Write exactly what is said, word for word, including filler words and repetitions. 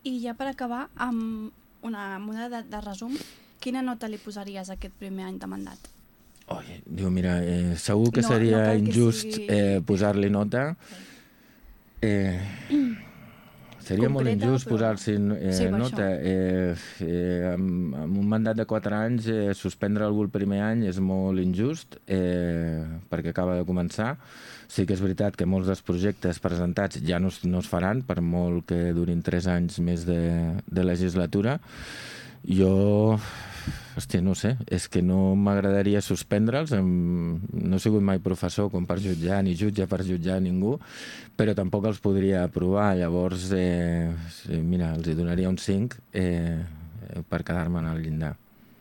I ja per acabar, amb una moda de, de resum, quina nota li posaries a aquest primer any de mandat? Oi, diu, mira, eh, segur que No- seria no cal que injust sigui- eh, posar-li nota. Eh, seria molt Concreta, injust però- posar-s'hi eh, Sí, per nota. Eh, eh, amb, amb un mandat de quatre anys, eh, suspendre algú el primer any és molt injust, eh, perquè acaba de començar. Sí que és veritat que molts dels projectes presentats ja no, es- no es faran, per molt que durin tres anys més de, de legislatura. Jo, hòstia, no ho sé, és que no m'agradaria suspendre'ls. Em- No he sigut mai professor com per jutjar, ni jutge per jutjar ningú, però tampoc els podria aprovar. Llavors, eh, sí, mira, els hi donaria un cinc eh, per quedar-me en el llindar.